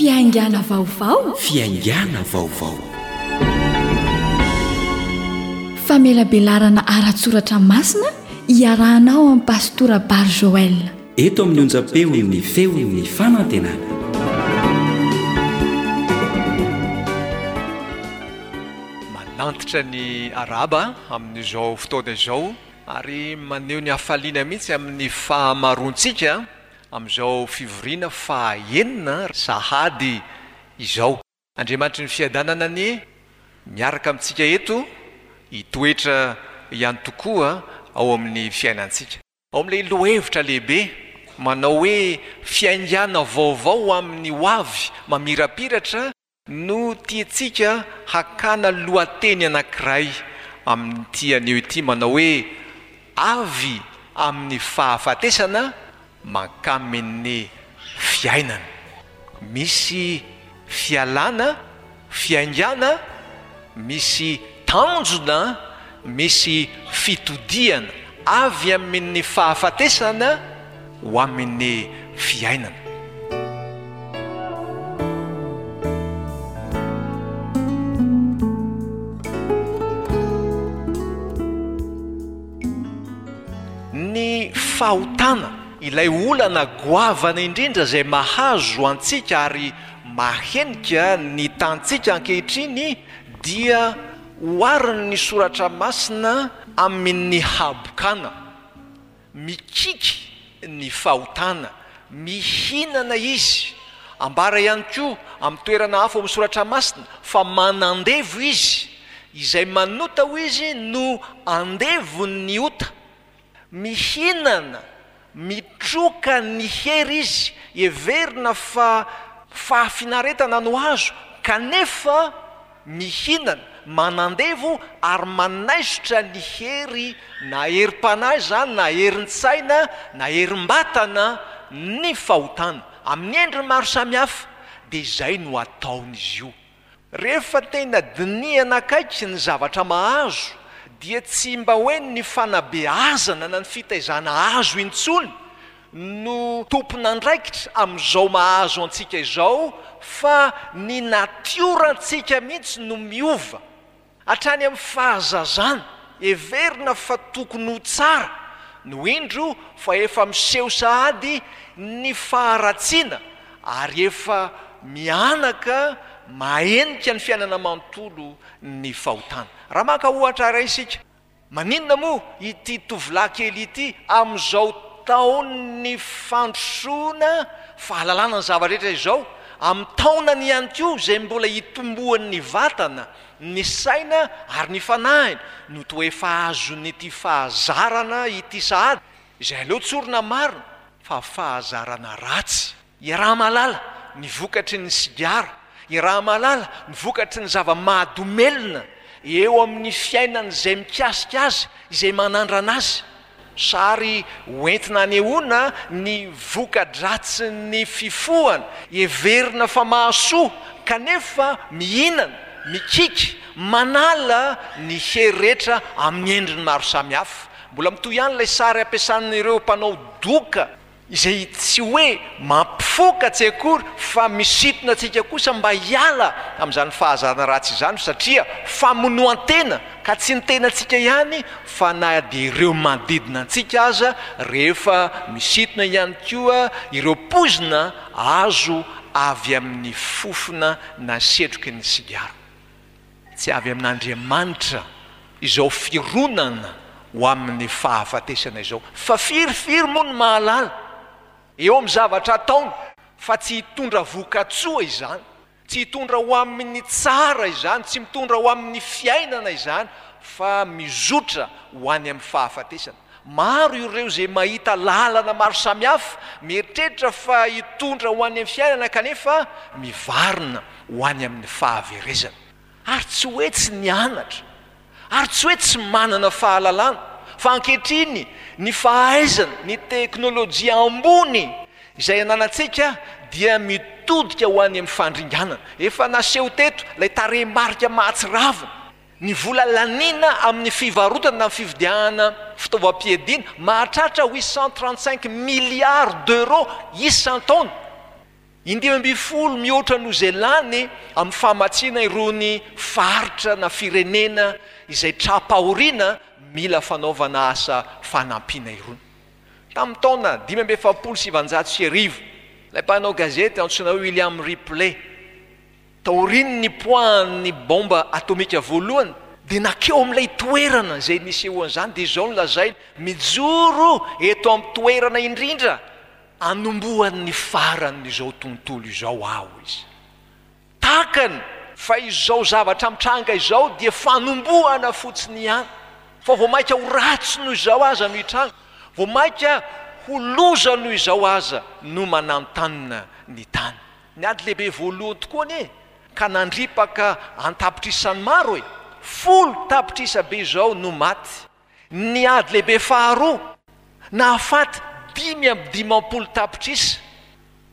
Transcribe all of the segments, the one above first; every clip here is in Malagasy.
Fiaingàna vaovao. Fiaingàna vaovao. Famelabelarana ara-tsoratra masina iarahanao amin'i Pastora Bary Joël. Eto amin'ny onjam-peon'ny Feon'ny Fanantenana. Manantitra ny arahaba amin'izao fotoana izao ary maneho ny hafaliana mihitsy amin'ny fahamaroantsika amin'izao fivoriana faha-enina sahady izao. Andriamanitry ny fiadanana anie miaraka amintsika eto hitoetra ihany tokoa ao amin'ny fiainantsika. Ao amin'ilay lohahevitra lehibe manao hoe fiaingàna vaovao ho amin'ny ho avy mamirapiratra no tiantsika hakana lohateny anankiray amin'ity anio ity manao hoe Avy amin'ny fahafatesana mankamin'ny fiainana. Misy fialana, fiaingàna, misy tanjona, misy fitodihana avy amin'ny fahafatesana ho amin'ny fiainana. Ny fahotana, ilay olana goavana indrindra izay mahazo antsika ary mahenika ny tantsika ankehitriny dia oharin'ny Soratra Masina amin'ny habokana. Mikiky ny fahotana, mihinana izy. Ambara ihany koa amin'ny toerana hafa ao amin'ny Soratra Masina fa manandevo izy. Izay manota hoy izy no andevon'ny ota. Mihinana, mitroka ny hery izy, heverina fa fahafinaretana no azo kanefa mihinana, manandevo ary manaisotra ny hery na herim-panahy izany na herin-tsaina na herim-batana ny fahotana. Amin'ny endriny maro samihafa dia izay no ataon'izy io. Rehefa tena dinihana akaiky ny zavatra mahazo dia tsy mba hoe ny fanabeazana na ny fitaizana azo intsony no tompon'andraikitra amin'izao mahazo antsika izao fa ny natiorantsika mihitsy no miova. Hatrany amin'ny fahazazana, heverina fa tokony ho tsara, no indro fa efa miseho sahady ny faharatsiana ary efa mihanaka mahenika ny fiainana manontolo ny fahotana. Raha maka ohatra iray isika, Maninona moa ity tovolahy kely ity amin'izao taon'ny fandrosoana fahalalana ny zava-drehetra izao, amin'ny taonany ihany koa izay mbola hitomboan'ny vatana, ny saina ary ny fanahiny no toa efa azon'ity fahazarana ity sahady, izay aleo tsorina marina fa fahazarana ratsy. Iaraha-mahalala ny vokatry ny sigara, iaraha-mahalala ny vokatry ny zava-mahadomelina eo amin'ny fiainan'izay mikasika azy, izay manandrana azy. Sary hoentina hanehoana ny voka-dratsin'ny fifohana, heverina fa mahasoa kanefa mihinana, mikiky, manala ny hery rehetra amin'ny endriny maro samihafa. Mbola mitohy ihany ilay sary ampiasan'ireo mpanao doka. Izay tsy hoe mampifoka tsy akory fa misintona antsika kosa mba hiala amin'izany fahazarana ratsy izany satria famonoan-tena ka tsy ny tenantsika ihany fa na dia ireo manodidina antsika aza rehefa misintona ihany koa ireo poizina azo avy amin'ny fofona na setroky ny sigara. Tsy avy amin'Andriamanitra izao fironana ho amin'ny fahafatesana izao. Fa firifiry moa no mahalala, eo amin'ny zavatra ataony, fa tsy hitondra voka-tsoa izany, tsy hitondra ho amin'ny tsara izany, tsy mitondra ho amin'ny fiainana izany, fa mizotra ho any amin'ny fahafatesana. Maro ireo izay mahita lalana maro samihafa, mieritreritra fa hitondra ho any amin'ny fiainana kanefa mivarina ho any amin'ny fahaverezana. Ary tsy hoe tsy nianatra, ary tsy hoe tsy manana fahalalana, fa ankehitriny ny fahaizana, ny teknolojia ambony izay ananantsika dia mitodika ho any amin'ny fandringanana. Efa naseho teto ilay tarehimarika mahatsiravina. Ny vola laniana amin'ny fivarotana na fividianana fitaovam-piadiana mahatratra 835 milliards d'euros isan-taona. 15 mihoatra noho izay lany amin'ny famatsiana irony faritra na firenena izay tra-pahoriana mila fanaovana asa fanampiana irony. Tamin'ny taona 1945, ilay mpanao gazety antsoina hoe William Ripley, taorian'ny nipoahan'ny baomba atomika voalohany, dia nankeo amin'ilay toerana izay nisehoan'izany, dia izao no lazainy, Mijoro eto amin'ny toerana indrindra Anombohan'ny faran'izao tontolo izao aho izy. Takany fa izao zavatra mitranga izao dia fanombohana fotsiny ihany, fa vao mainka ho ratsy noho izao aza no hitranga, vao mainka ho loza noho izao aza no mananontanona ny tany. Ny ady lehibe voalohany tokoa anie ka nandripaka an-tapitrisany maro e! 10 tapitrisa be izao no maty. Ny ady lehibe faharoa, nahafaty 55 tapitrisa.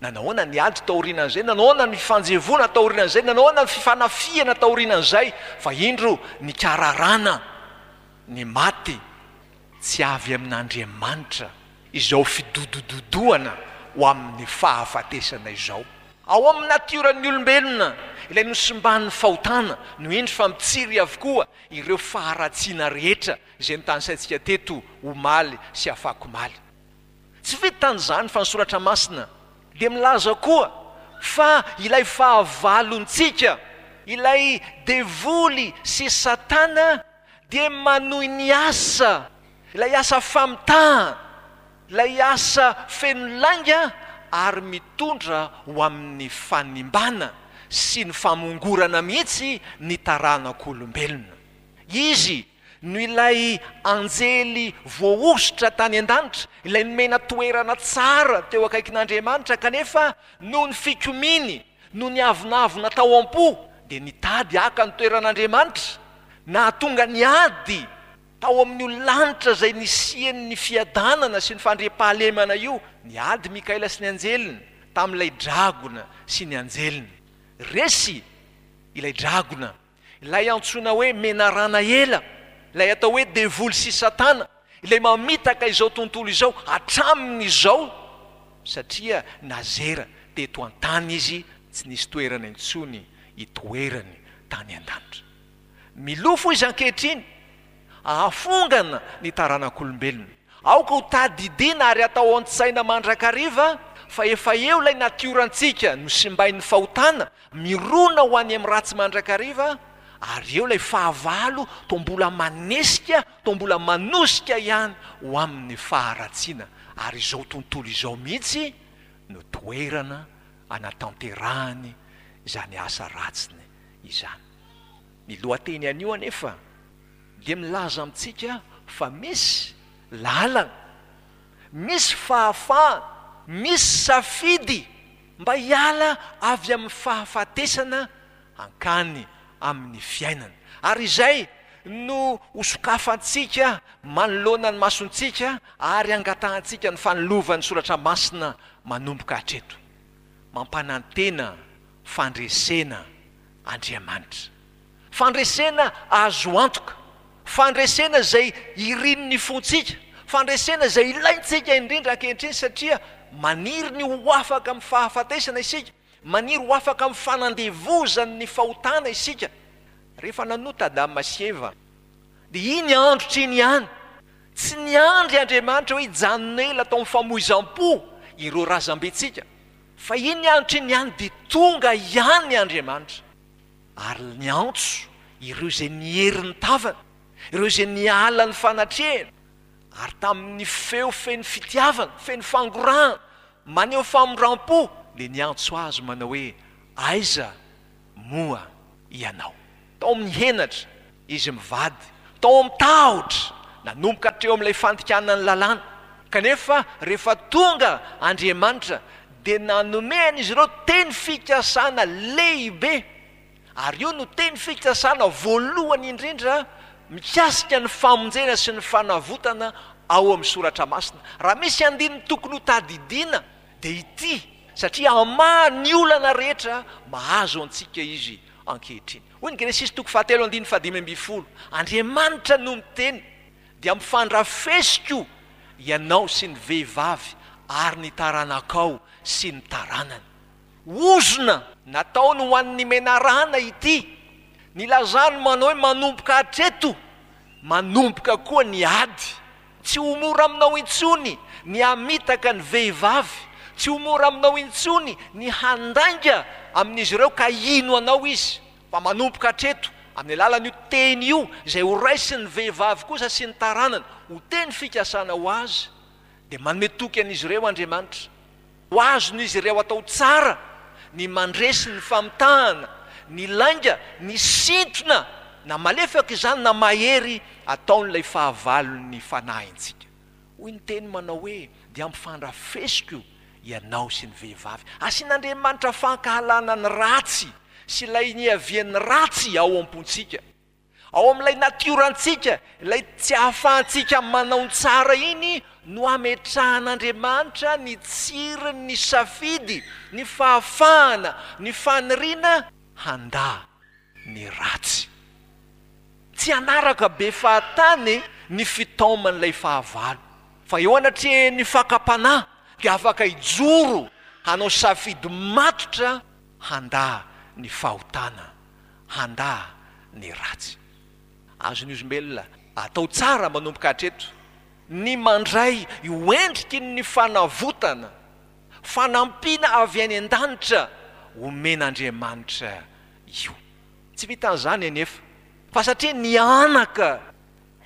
Nanahoana ny ady taorianan'izay? Nanahoana ny fifanjevoana taorianan'izay? Nanahoana ny fifanafihana taorianan'izay? Fa indro nikararana ny maty tsy avy amin'Andriamanitra izao fidodododoana ho amin'ny fahafatesana izao. Ao amin'ny natioran'ny olombelona, ilay nosimban'ny fahotana, no indro fa mitsiry avokoa ireo faharatsiana rehetra izay notanisaintsika teto omaly sy afakomaly. Tsy vitan'izany fa ny Soratra Masina dia milaza koa fa ilay fahavalontsika, ilay devoly sy Satana dia manohy ny asa, ilay asa famitahana, ilay asa feno lainga ary mitondra ho amin'ny fanimbana sy ny famongorana mihitsy ny taranak'olombelona. Izy no ilay anjely voahosotra tany an-danitra, ilay nomena toerana tsara teo akaikin'Andriamanitra, kanefa noho ny fikomiany, noho ny avonavona tao am-po, dia nitady haka ny toeran'Andriamanitra, nahatonga ny ady Tao amin'io lanitra izay nisian'ny fiadanana sy ny fandriampahalemana io, niady Mikaela sy ny anjeliny tamin'ilay dragona sy ny anjeliny. Resy ilay dragona, ilay antsoina hoe menarana ela, ilay atao hoe devoly sy Satana, ilay mamitaka izao tontolo izao hatramin'izao, satria nazera teto an-tany izy, tsy nisy toerana intsony hitoerany tany an-danitra. Milofo izy ankehitriny hahafongana ny taranak'olombelona. Aoka ho tadidiana ary atao an-tsaina mandrakariva fa efa eo ilay natiorantsika nosimbain'ny fahotana, mirona ho any amin'ny ratsy mandrakariva, ary eo ilay fahavalo toa mbola manesika, toa mbola manosika ihany ho amin'ny faharatsiana, ary izao tontolo izao mihitsy no toerana anatanterahany izany asa ratsiny izany. Ny lohateny anio anefa dia milaza amintsika fa misy lalana, misy fahafahana, misy safidy mba hiala avy amin'ny fahafatesana hankany amin'ny fiainana. Ary izay no hosokafantsika manoloana ny masontsika ary hangatahantsika ny fanilovan'ny Soratra Masina manomboka hatreto. Mampanantena fandresena Andriamanitra. Fandresena azo antoka, fandresena izay irin'ny fontsika, fandresena izay ilaintsika indrindra ankehitriny satria maniry ny ho afaka amin'ny fahafatesana isika, maniry ho afaka amin'ny fanandevozan'ny fahotana isika. Rehefa nanota Adama sy Eva, dia iny androtra iny ihany, tsy niandry Andriamanitra hoe hijanona ela tao amin'ny famoizam-po ireo razambentsika, Fa iny andro iny ihany dia tonga ihany Andriamanitra ary niantso ireo izay niery ny tavany, ireo izay niala ny fanatrehany, ary tamin'ny feo feno fitiavana, feno fangorahana, maneho famindram-po, dia niantso azy manao hoe, Aiza moa ianao? Tao amin'ny henatra izy mivady, tao amin'ny tahotra, nanomboka hatreo amin'ilay fandikana ny lalàna. Kanefa rehefa tonga Andriamanitra dia nanome an'izy ireo teny fikasana lehibe, ary io no teny fikasana voalohany indrindra mikasika ny famonjena sy ny fanavotana ao amin'ny Soratra Masina. Raha misy andininy tokony hotadidiana dia ity, satria hamaha ny olana rehetra mahazo antsika izy ankehitriny. Hoy ny Genesisy toko fahatelo andininy fahadimy ambin'ny folo, Andriamanitra no miteny, dia ampifandrafesiko ianao sy ny vehivavy ary ny taranakao sy ny taranany. Ozona nataony ho an'ny menarana ity. Nilazany manao hoe manomboka hatreto, manomboka koa ny ady. Tsy ho mora aminao intsony ny hamitaka ny vehivavy, tsy ho mora aminao intsony ny handainga amin'izy ireo ka hino anao izy. Fa manomboka hatreto, amin'ny alalan'io teny io, izay horaisin'ny vehivavy kosa sy ny taranany ho teny fikasana ho azy, dia manome toky an'izy ireo Andriamanitra. Ho azon'izy ireo atao tsara ny mandresy ny famitahana, ny lainga, ny sintona, na malefaka izany na mahery, ataon'ilay fahavalon'ny fanahintsika. Hoy ny teny manao hoe, Dia ampifandrafesiko ianao sy ny vehivavy. Asian'Andriamanitra fankahalana ny ratsy sy ilay niavian'ny ratsy ao am-pontsika. Ao amin'ilay natiorantsika, ilay tsy ahafahantsika manao ny tsara iny no ametrahan'Andriamanitra ny tsirin'ny safidy, ny fahafahana, ny faniriana handà ny ratsy. Tsy hanaraka be fahatany ny fitaoman'ilay fahavalo, fa eo anatrehan'ny fakam-panahy dia afaka hijoro hanao safidy matotra handà ny fahotana. handà ny ratsy. Azon'ny olombelona atao tsara manomboka hatreto ny mandray io endriky ny fanavotana, fanampiana avy any an-danitra omen'Andriamanitra io. Tsy vitan'izany anefa, fa satria nihanaka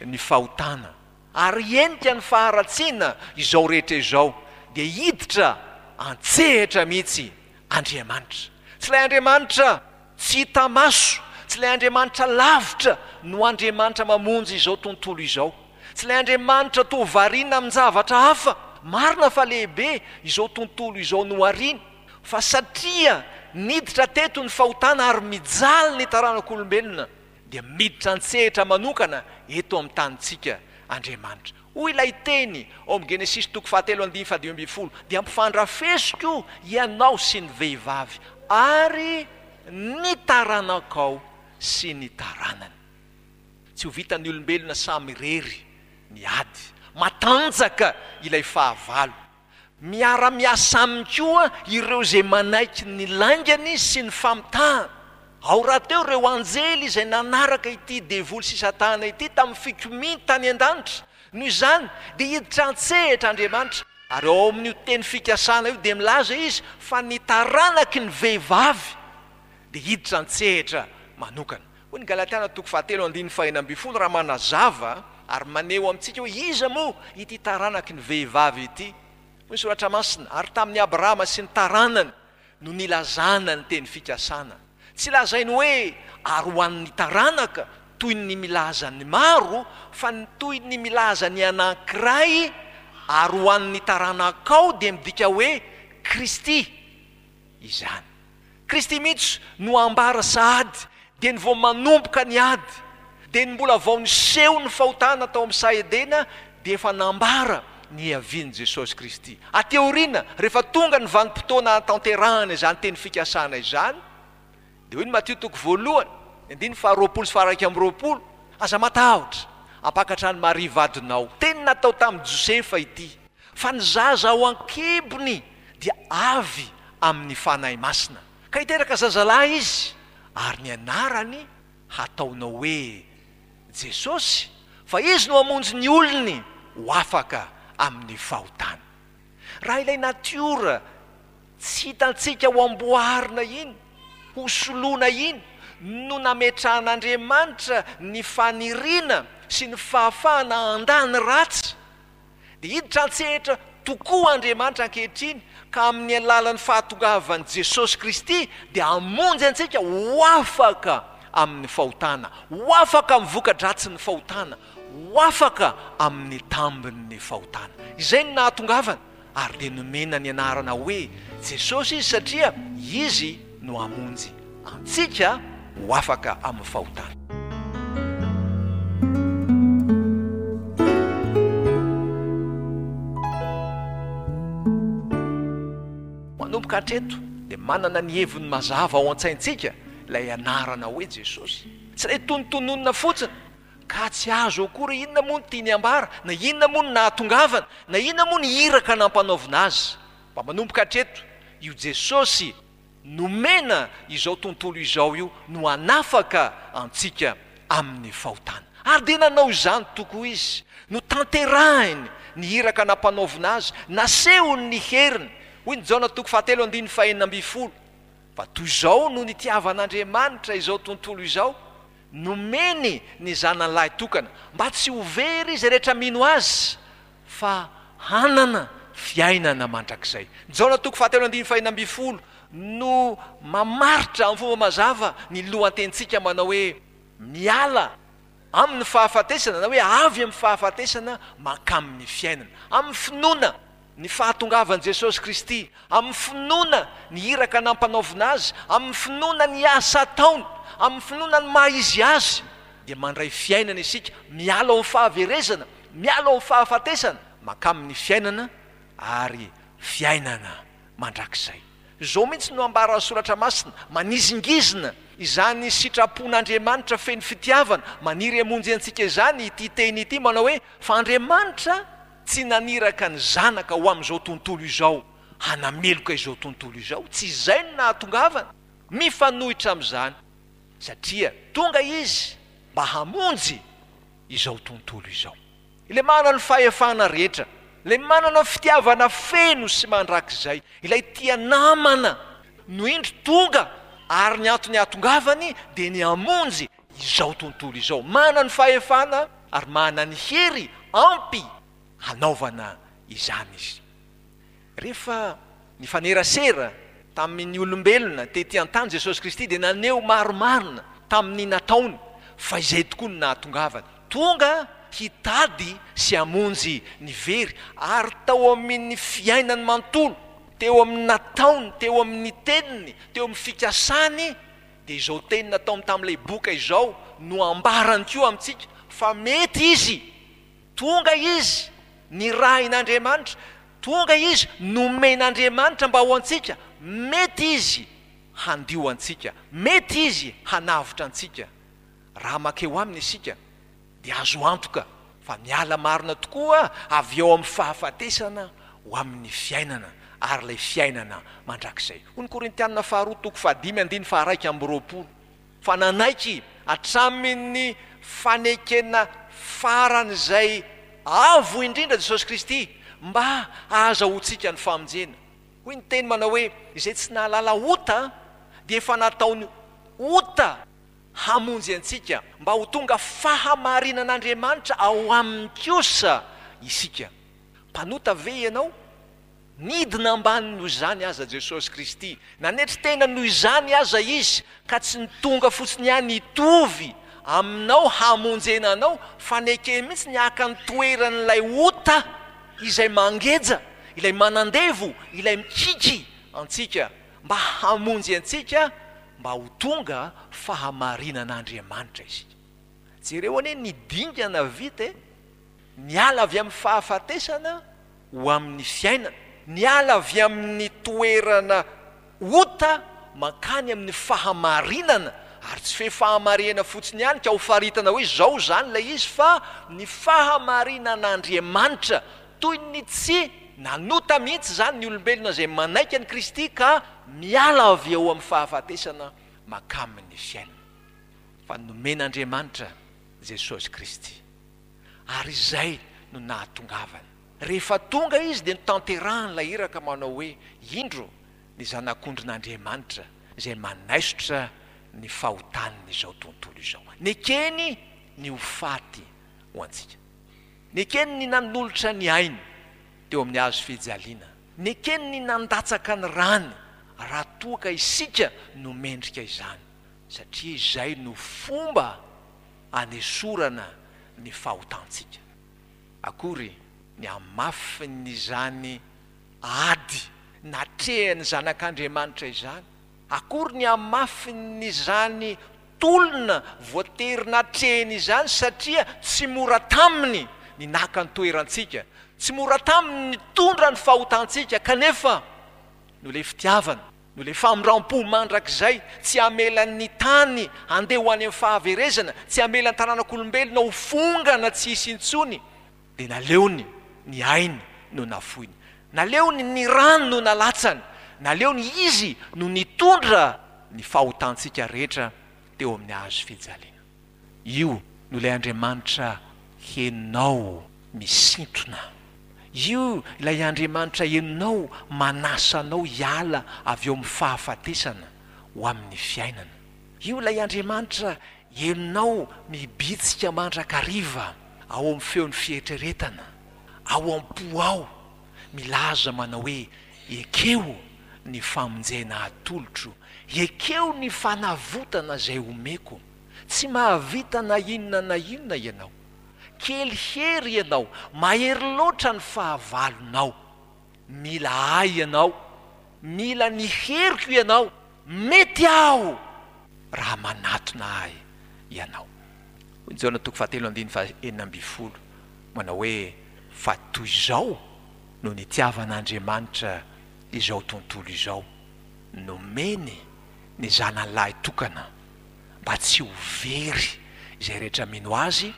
ny fahotana ary henika ny faharatsiana izao rehetra izao, dia hiditra an-tsehatra mihitsy Andriamanitra. Tsy ilay Andriamanitra tsy hita maso, tsy ilay Andriamanitra lavitra no Andriamanitra mamonjy izao tontolo izao. Tsy ilay Andriamanitra toa variana amin-javatra hafa. Marina fa lehibe izao tontolo izao nohariny, fa satria niditra teto ny fahotana ary mijaly ny taranak'olombelona, dia miditra an-tsehatra manokana eto amin'ny tanintsika Andriamanitra. Hoy ilay teny ao amin'ny Genesisy toko fahatelo andininy fahadimy ambin'ny folo, Dia ampifandrafesiko ianao sy ny vehivavy, ary ny taranakao sy ny taranany. Tsy ho vitan'ny olombelona samy irery ny ady. Matanjaka ilay fahavalo. Miara-miasa aminy koa ireo izay manaiky ny laingany sy ny famitahany. Ao rahateo ireo anjely izay nanaraka ity devoly sy Satana ity tamin'ny fikomiany tany an-danitra. Noho izany, dia hiditra an-tsehatra Andriamanitra, ary ao amin'io teny fikasana io dia milaza Izy fa ny taranaky ny vehivavy dia hiditra an-tsehatra manokana. Hoy ny Galatiana toko fahatelo andininy fahenina ambin'ny folo raha manazava ary maneho amintsika hoe iza moa ity taranaky ny vehivavy ity. Hoy ny Soratra Masina, Ary tamin'i Abrahama sy ny taranany no nilazana ny teny fikasana. Tsy lazainy hoe ary ho an'ny taranaka toy ny milaza ny maro, fa ny toy ny milaza ny anankiray, ary ho an'ny taranakao dia midika hoe Kristy izany. Kristy mihitsy no ambara sahady, dia ny vao manomboka ny ady, dia ny mbola vao niseho ny fahotana tao amin'ny saha Edena dia efa nambara ny hiavian'i Jesosy Kristy. Aty aoriana, rehefa tonga ny vanim-potoana hahatanterahana izany teny fikasana izany, dia hoy ny Matio toko voalohany, ny andininy faharoapolo sy faha-iraika amby roapolo, Aza matahotra, hampakatra an'i Maria vadinao. Teny natao tamin'i Josefa ity. Fa ny zaza ao an-kibony dia avy amin'ny Fanahy Masina. Ka hiteraka zazalahy izy, ary ny anarany hataonao hoe Jesosy, fa Izy no hamonjy ny olony ho afaka amin'ny fahotany. Raha ilay natiora tsy hitantsika ho amboarina iny, ho soloina iny, no nametrahan'Andriamanitra ny faniriana sy ny fahafahana handà ny ratsy, Dia hiditra an-tsehatra tokoa Andriamanitra ankehitriny ka amin'ny alalan'ny fahatongavan'i Jesosy Kristy dia hamonjy antsika ho afaka amin'ny fahotana, ho afaka amin'ny voka-dratsin'ny fahotana, ho afaka amin'ny tambin'ny fahotana. Izay no nahatongavany ary dia nomena ny anarana hoe Jesosy Izy satria Izy no hamonjy antsika ho afaka amin'ny fahotana. Manomboka hatreto dia manana ny heviny mazava ao an-tsaintsika ilay anarana hoe Jesosy. Tsy ilay tonontononina fotsiny ka tsy azo akory inona moa no tiany ambara, na inona moa no nahatongavany, na inona moa ny iraka nampanaovina azy. Mba manomboka hatreto io Jesosy. nomena izao tontolo izao io no hanafaka antsika amin'ny fahotana. Ary dia nanao izany tokoa Izy. Notanterahiny ny iraka nampanaovina Azy, nasehony ny heriny. Hoy ny Jaona toko fahatelo andininy fahenina ambin'ny folo, Fa toy izao no nitiavan'Andriamanitra izao tontolo izao, nomeny ny Zanany lahy tokana, mba tsy ho very izay rehetra mino Azy, fa hanana fiainana mandrakizay. Jaona toko fahatelo andininy fahenina ambin'ny folo no mamaritra amin'ny fomba mazava ny lohatenintsika manao hoe miala amin'ny fahafatesana na hoe avy amin'ny fahafatesana mankamin'ny fiainana. Amin'ny finoana ny fahatongavan'i Jesosy Kristy, amin'ny finoana ny iraka nampanaovina Azy, amin'ny finoana ny asa ataony, amin'ny finoana ny maha Izy Azy, dia mandray fiainana isika, miala ao amin'ny fahaverezana, miala ao amin'ny fahafatesana, mankamin'ny fiainana ary fiainana mandrakizay. Izao mihitsy no ambaran'ny Soratra Masina, manizingizina izany sitrapon'Andriamanitra feno fitiavana, maniry hamonjy antsika izany ity teny ity manao hoe, Fa Andriamanitra tsy naniraka ny Zanaka ho amin'izao tontolo izao hanameloka izao tontolo izao, tsy izay no nahatongavany, mifanohitra amin'izany, satria tonga Izy mba hamonjy izao tontolo izao. Ilay manana ny fahefana rehetra, ilay manana ny fitiavana feno sy mandrakizay, ilay tia namana no indro tonga ary ny antony ahatongavany dia ny hamonjy izao tontolo izao. Manana ny fahefana ary manana ny hery ampy hanaovana izany izy. Rehefa nifanerasera tamin' ny olombelona tety an-tany Jesosy Kristy dia naneho marimarina tamin' ny nataony fa izay tokoa no nahatongavany. Tonga hitady sy hamonjy ny very ary tao amin' ny fiainany manontolo, teo amin' ny nataony, teo amin' ny teniny, teo amin' ny fikasany dia izao teny nataony tamin' ilay boka izao no ambarany koa amintsika fa mety Izy. Tonga Izy, nirahin'Andriamanitra, tonga Izy, nomen'Andriamanitra mba ho antsika, mety Izy handio antsika, mety Izy hanavotra antsika. Raha makeo Aminy isika, dia azo antoka fa miala marina tokoa avy eo amin'ny fahafatesana ho amin'ny fiainana, ary ilay fiainana mandrakizay. Hoy ny Korintiana faharoa toko fahadimy andininy faha-21. Fa nanaiky hatramin'ny fanekena faran'izay avo indrindra Jesosy Kristy mba hahazahoantsika ny famonjena. Hoy ny teny manao hoe, Izay tsy nahalala ota dia efa nataony ota hamonjy antsika, mba ho tonga fahamarinan'Andriamanitra ao aminy kosa isika. Mpanota ve ianao? Nidina ambany noho izany aza Jesosy Kristy. Nanetry tena noho izany aza Izy, ka tsy ny tonga fotsiny ihany hitovy aminao hamonjena anao, fa nekeny mihitsy ny haka ny toeran'ilay ota izay mangeja, ilay manandevo, ilay mikiky antsika, mba hamonjy antsika mba ho tonga fahamarinan'Andriamanitra isika. Jereo anie ny dingana vita e! Niala avy amin'ny fahafatesana ho amin'ny fiainana, niala avy amin'ny toerana ota mankany amin'ny fahamarinana, ary tsy fe fahamarihana fotsiny ihany ka ho faritana hoe izao izany ilay izy fa ny fahamarinan'Andriamanitra, toy ny tsy nanota mihitsy izany ny olombelona izay manaiky an'i Kristy ka miala avy eo amin'ny fahafatesana mankamin'ny fiainana. Fa nomen'Andriamanitra Jesosy Kristy. Ary izay no nahatongavany. Rehefa tonga izy dia notanterahany ilay iraka manao hoe, Indro ny Zanak'ondrin'Andriamanitra izay manaisotra ny fahotan'izao tontolo izao. Nekeny ny ho faty ho antsika. Nekeny ny nanolotra ny ainy teo amin'ny hazo fijaliana. Nekeny ny nandatsaka ny rany raha toa ka isika no mendrika izany, satria izay no fomba anesorana ny fahotantsika. Akory ny hamafin'izany ady natrehan'ny Zanak'Andriamanitra izany! Akory ny hamafin'izany tolona voatery natrehiny izany, satria tsy mora taminy ny naka ny toerantsika, tsy mora taminy ny nitondra ny fahotantsika, kanefa noho ilay fitiavana, Noho ilay famindram-po mandrakizay, tsy hamela ny tany handeha ho any amin'ny fahaverezana, tsy hamela ny taranak'olombelona ho fongana tsy hisy intsony, dia naleony ny ainy no nafoiny. Naleony ny rany no nalatsany. Naleony Izy no nitondra ny fahotantsika rehetra teo amin'ny hazo fijaliana. Io no ilay Andriamanitra henonao misintona. Io ilay Andriamanitra henonao manasa anao hiala avy eo amin'ny fahafatesana ho amin'ny fiainana. Io ilay Andriamanitra henonao mibitsika mandrakariva ao amin'ny feon'ny fieritreretana, ao am-po ao, milaza manao hoe, Ekeo ny famonjena atolotro, ekeo ny fanavotana izay omeko. Tsy mahavita na inona na inona ianao. Kely hery ianao, mahery loatra ny fahavalonao. Mila ahy ianao, mila ny heriko ianao, mety aho raha manatona ahy ianao. Hoy ny Jaona toko fahatelo andininy faha 16 manao hoe, Fa toy izao no nitiavan'Andriamanitra izao tontolo izao, nomeny ny Zanany lahy tokana mba tsy ho very izay rehetra mino Azy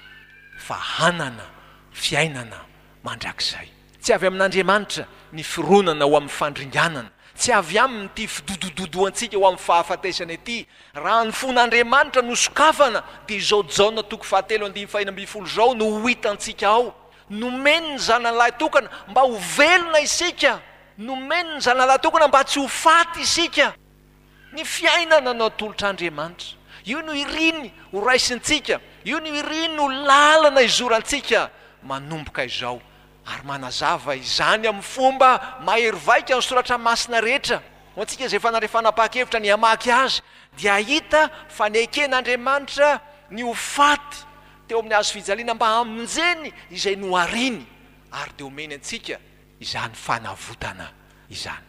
fa hanana fiainana mandrakizay. Tsy avy amin'Andriamanitra ny fironana ho amin'ny fandringanana, tsy avy aminy ity fidodododoantsika ho amin'ny fahafatesana ity. Raha ny fon'Andriamanitra no sokafana, dia izao Jaona toko fahatelo andininy faheno ambinifolo izao no ho hitantsika ao, Nomeny ny Zanany lahitokana mba ho velona isika, nomeny ny Zanany lahitokana mba tsy ho faty isika. Ny fiainana no atolotr'Andriamanitra. Io no iriny ho raisintsika, io no iriny ho lalana izorantsika manomboka izao, ary manazava izany amin'ny fomba mahery vaika ny Soratra Masina rehetra. Ho antsika izay efa nandray fanapahan-kevitra ny hamaky azy, dia hahita fa neken'Andriamanitra ny ho faty teo amin'ny hazo fijaliana mba hamonjeny izay nohariny, ary dia omeny antsika izany fanavotana izany.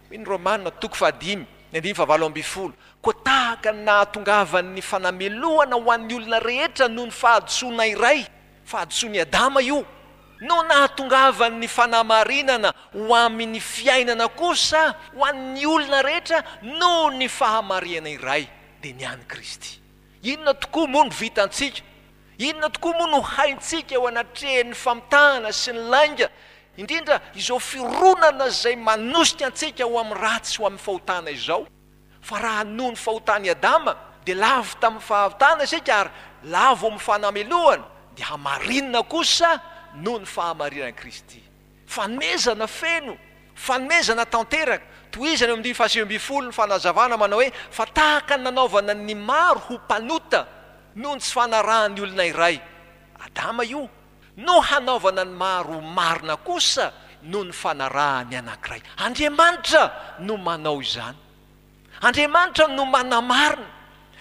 Hoy ny Romana, toko fahadimy, ny andininy fahavalo ambinifolo, Koa tahaka ny nahatongavan'ny fanamelohana ho an'ny olona rehetra noho ny fahadisoana iray, fahadisoan'i Adama io, no nahatongavan'ny fanamarinana ho amin'ny fiainana kosa ho an'ny olona rehetra noho ny fahamarihana iray, dia ny an'i Kristy. Inona tokoa moa no vitantsika? Inona tokoa moa no haintsika eo anatrehan'ny famitahana sy ny lainga, indrindra izao fironana izay manosika antsika ho amin'ny ratsy sy ho amin'ny fahotana izao? Fa raha noho ny fahotan'i Adama dia lavo tamin'ny fahotana isika ary lavo amin'ny fanamelohana, dia hamarinina kosa noho ny fahamarinan'i Kristy. Fanomezana feno, fanomezana tanteraka. Tohizana eo amin'ny andininy faha-19 ny fanazavana manao hoe, Fa tahaka ny nanaovana ny maro ho mpanota noho ny tsy fanarahan'ny olona iray, Adama io, no hanaovana ny maro ho marina kosa noho ny fanarahan'ny anankiray. Andriamanitra no manao izany. Andriamanitra no manamarina.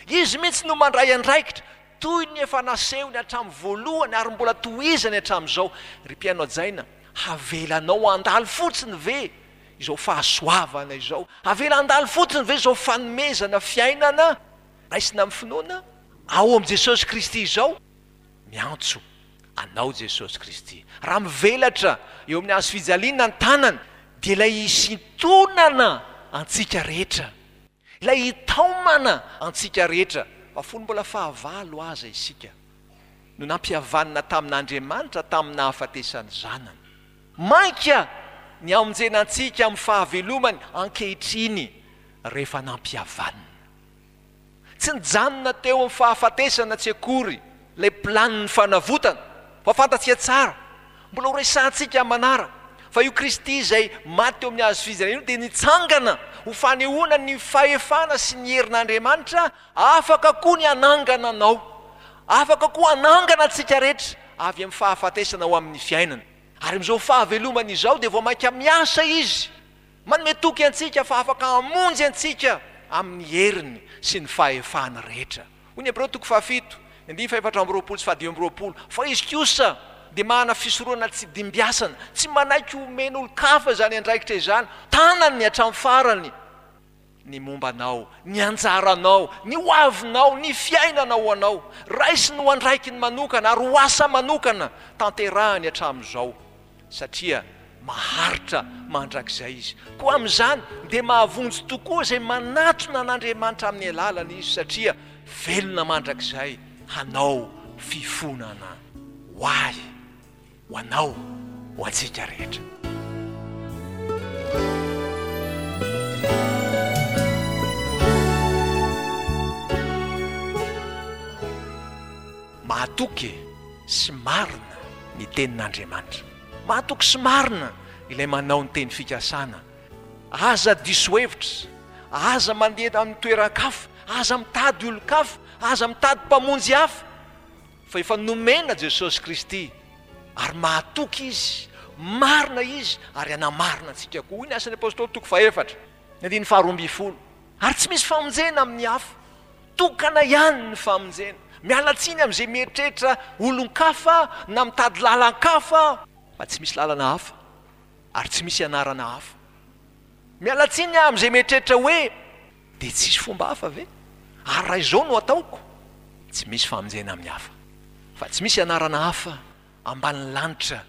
Izy mihitsy no mandray andraikitra, toy ny efa nasehony hatramin'ny voalohany ary mbola tohizany hatramin'izao. Ry mpihaino hajaina, havelanao handalo fotsiny ve izao fahasoavana izao? Havela handalo fotsiny ve izao fanomezana fiainana raisina amin'ny finoana ao amin'i Jesosy Kristy izao? Miantso anao Jesosy Kristy. Raha mivelatra eo amin'ny hazo fijaliana ny tanany, dia ilay hisintonana antsika rehetra, ilay hitaomana antsika rehetra, fa fony mbola fahavalo aza isika, no nampihavanina tamin'Andriamanitra tamin'ny nahafatesan'ny Zanany. Mainka ny hamonjena antsika amin'ny fahavelomany ankehitriny rehefa nampihavanina. Tsy nijanona teo amin'ny fahafatesana tsy akory ilay planin'ny fanavotana, fa fantatsika tsara, mbola ho resahantsika amin'ny manaraka, fa io Kristy izay maty teo amin'ny hazo fijaliana io dia nitsangana ho fanehoana ny fahefana sy ny herin'Andriamanitra, afaka koa ny hanangana anao, afaka koa hanangana antsika rehetra avy amin'ny fahafatesana ho amin'ny fiainana. Ary amin'izao fahavelomana izao dia vao mainka miasa Izy Manome toky antsika fa afaka hamonjy antsika amin'ny heriny sy ny fahefany rehetra. Hoy ny Hebreo toko fahafito, ny andininy fahefatra amby 20 sy fahadimy amby 20, Fa izy kosa dia manana fisoronana tsy dimbiasana, tsy manaiky homen'olon-kafa izany andraikitra izany, tanany hatramin'ny farany. ny momba anao, ny anjaranao, ny ho avinao, ny fiainana ho anao. Raisiny ho andraikiny manokana ary ho asa manokana tanterahiny hatramin'izao, satria maharitra mandrakizay Izy. Koa amin'izany dia mahavonjy tokoa izay manatona an'Andriamanitra amin'ny alalany Izy, satria velona mandrakizay hanao fifonana ho ahy. ho anao, ho antsika rehetra. Mahatoky sy marina ny tenin'Andriamanitra. Mahatoky sy marina ilay manao ny teny fikasana. Aza diso hevitra, aza mandeha amin'ny toeran-kafa, aza mitady olon-kafa, aza mitady mpamonjy hafa, fa efa nomena Jesosy Kristy ary mahatoky Izy, marina Izy ary hanamarina antsika koa. Hoy ny Asan'ny Apostoly toko fahefatra, ny andininy faharoambinifolo. Ary tsy misy famonjena amin'ny hafa. Tokana ihany ny famonjena. Miala tsiny amin'izay mieritreritra olon-kafa na mitady lalan-kafa fa tsy misy lalana hafa ary tsy misy anarana hafa. Miala tsiny aho amin'izay mieritreritra hoe dia tsisy fomba hafa ve? Ary raha izao no ataoko? Tsy misy famonjena amin'ny hafa fa tsy misy anarana hafa ambanin'ny lanitra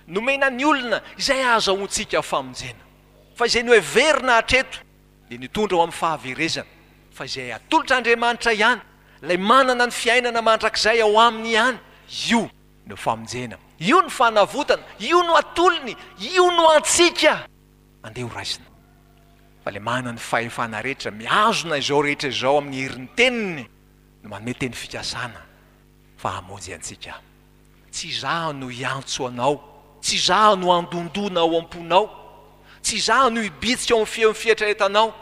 nomena ny olona izay ahazahoantsika famonjena fa izay noheverina hatreto dia nitondra ho amin'ny fahaverezana, fa izay atolotr'Andriamanitra ihany, ilay manana ny fiainana mandrakizay ao aminy ihany, io no famonjena, io no fanavotana, io no atolony, io no antsika. Andeha ho raisina. Fa ilay manana ny fahefana rehetra, mihazona izao rehetra izao amin'ny herin'ny teniny, no manome teny fikasana fa hamonjy antsika. Tsy izaho no hiantso anao, tsy izaho no handondona ao am-ponao, tsy izaho no hibitsika ao amin'ny feon'ny fieritreretanao,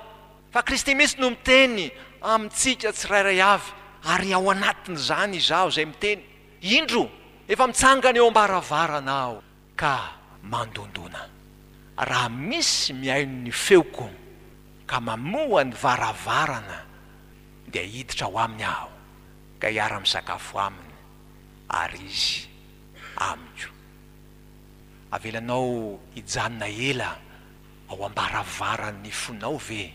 fa Kristy mihitsy no miteny amintsika tsirairay avy, ary ao anatin'izany izaho izay miteny, Indro, efa mitsangana eo am-baravarana aho ka mandondona. Raha misy mihaino ny feoko ka mamoha ny varavarana, dia hiditra ao aminy aho ka hiara-misakafo aminy. ary izy amiko. Avelanao hijanona ela ao am-baravaran'ny fonao ve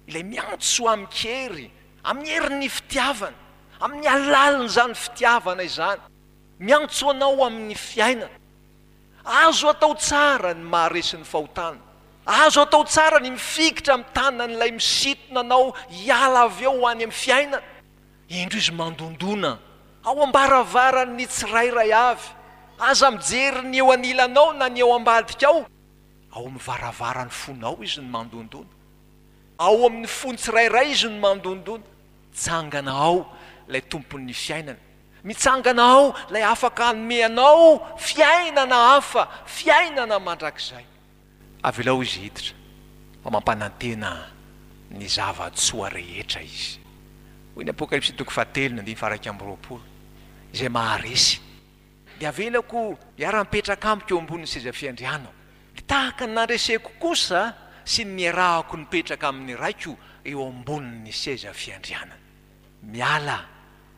ilay miantso amin-kery, amin'ny herin'ny fitiavana, amin'ny alalin'izany fitiavana izany, miantso anao amin'ny fiainana? Azo atao tsara ny maharesy ny fahotana. Azo atao tsara ny mifikitra amin'ny tanan'ilay misintona anao hiala avy eo ho any amin'ny fiainana. Indro izy mandondona ao am-baravaran'ny tsirairay avy. Aza mijery ny eo anilanao na ny eo ambadikao. Ao amin'ny varavaran'ny fonao izy no mandondona. Ao amin'ny fon'ny tsirairay izy no mandondona. Mitsangana ao ilay Tompon'ny fiainana. Mitsangana ao ilay afaka hanome anao fiainana hafa, fiainana mandrakizay. Avelao izy hiditra, fa mampanantena ny zava-tsoa rehetra izy. Hoy ny Apokalypsy toko fahatelo ny andininy faha-21, Izay maharesy, dia avelako hiara-mipetraka amiko eo ambonin'ny seza fiandrianako, dia tahaka ny nandreseko kosa sy ny niarahako nipetraka amin'ny Raiko eo ambonin'ny seza fiandrianany. Miala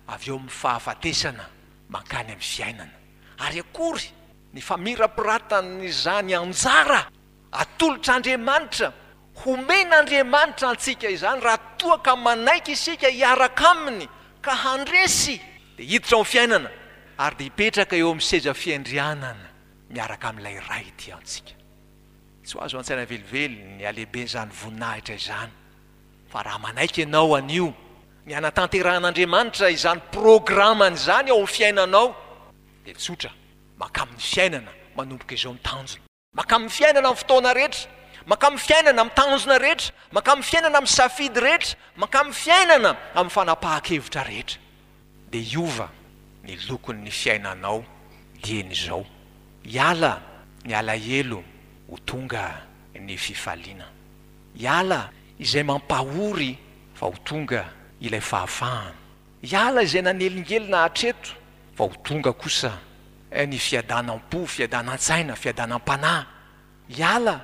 avy eo amin'ny fahafatesana mankany amin'ny fiainana. Ary akory ny famirapiratan'izany anjara atolotr'Andriamanitra, homen'Andriamanitra antsika izany raha toa ka manaiky isika hiaraka Aminy ka handresy, dia hiditra ao amin'ny fiainana ary dia hipetraka eo amin'ny seza fiandrianana miaraka amin'ilay Ray tia antsika. Tsy ho azo an-tsaina velively ny halehiben'izany voninahitra izany, fa raha manaiky ianao anio ny hanatanterahan'Andriamanitra izany programany izany ao amin'ny fiainanao, dia tsotra, mankamin'ny fiainana manomboka izao ny tanjona. Mankamin'ny fiainana amin'ny fotoana rehetra, mankamin'ny fiainana amin'ny tanjona rehetra, mankamin'ny fiainana amin'ny safidy rehetra, mankamin'ny fiainana amin'ny fanapahan-kevitra rehetra. Dia hiova ny lokon'ny fiainanao dieny izao. Hiala ny alahelo ho tonga ny fifaliana. Hiala izay mampahory fa ho tonga ilay fahafahana. Hiala izay nanelingelina hatreto fa ho tonga kosa ny fiadanam-po, fiadanan-tsaina, fiadanam-panahy. Hiala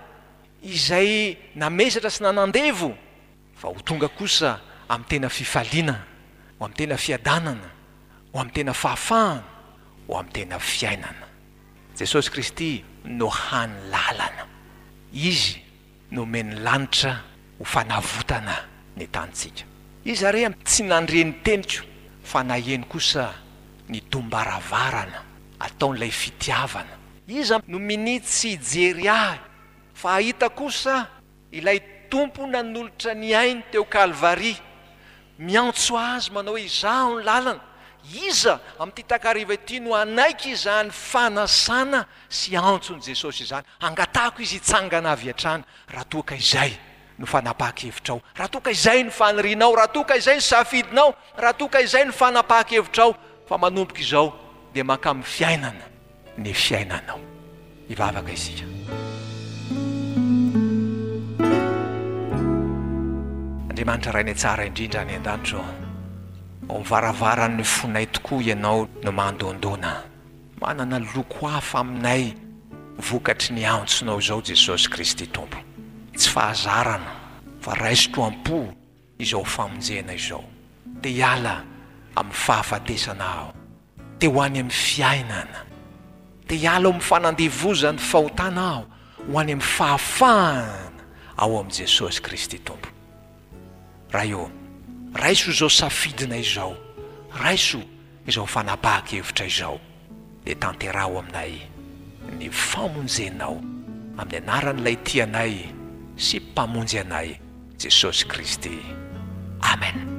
izay namesatra sy nanandevo fa ho tonga kosa amin'ny tena fifaliana, ho amin'ny tena fiadanana, ho amin'ny tena fahafahana, ho amin'ny tena fiainana. Jesosy Kristy no hany lalana. Izy nomen'ny lanitra ho fanavotana ny tanintsika. Iza re tsy nandre ny teniko fa naheno kosa ny dom-baravarana ataon'ilay fitiavana? Iza no minia tsy hijery ahy fa hahita kosa ilay Tompo nanolotra ny ainy teo Kalvary, miantso azy manao hoe izaho ny lalana? Iza amin'ity takariva ity no hanaiky izany fanasana sy antson'i Jesosy izany? Angatahako Izy hitsangana avy hatrany raha toa ka izay no fanapahan-kevitrao, raha toa ka izay no fanirianao, raha toa ka izay no safidinao, raha toa ka izay no fanapahan-kevitrao. Fa manomboka izao dia mankamin'ny fiainana ny fiainanao. Hivavaka isika. Andriamanitra Rainay tsara indrindra any an-danitra ô, ao amin'ny varavaran'ny fonay tokoa Ianao no mandondona. Manana loko hafa aminay vokatry ny antsonao izao Jesosy Kristy Tompo. Tsy fahazarana fa raisiko am-po izao famonjena izao. Te hiala amin'ny fahafatesana aho. Te ho any amin'ny fiainana. Te hiala ao amin'ny fanandevozan'ny fahotana aho ho any amin'ny fahafahana ao amin'i Jesosy Kristy Tompo. Ray ô, raiso izao safidinay izao. Raiso izao fanapahan-kevitra izao. Dia tanteraho aminay ny famonjenao amin'ny anaran'ilay tia anay sy Mpamonjy anay, Jesosy Kristy. Amen.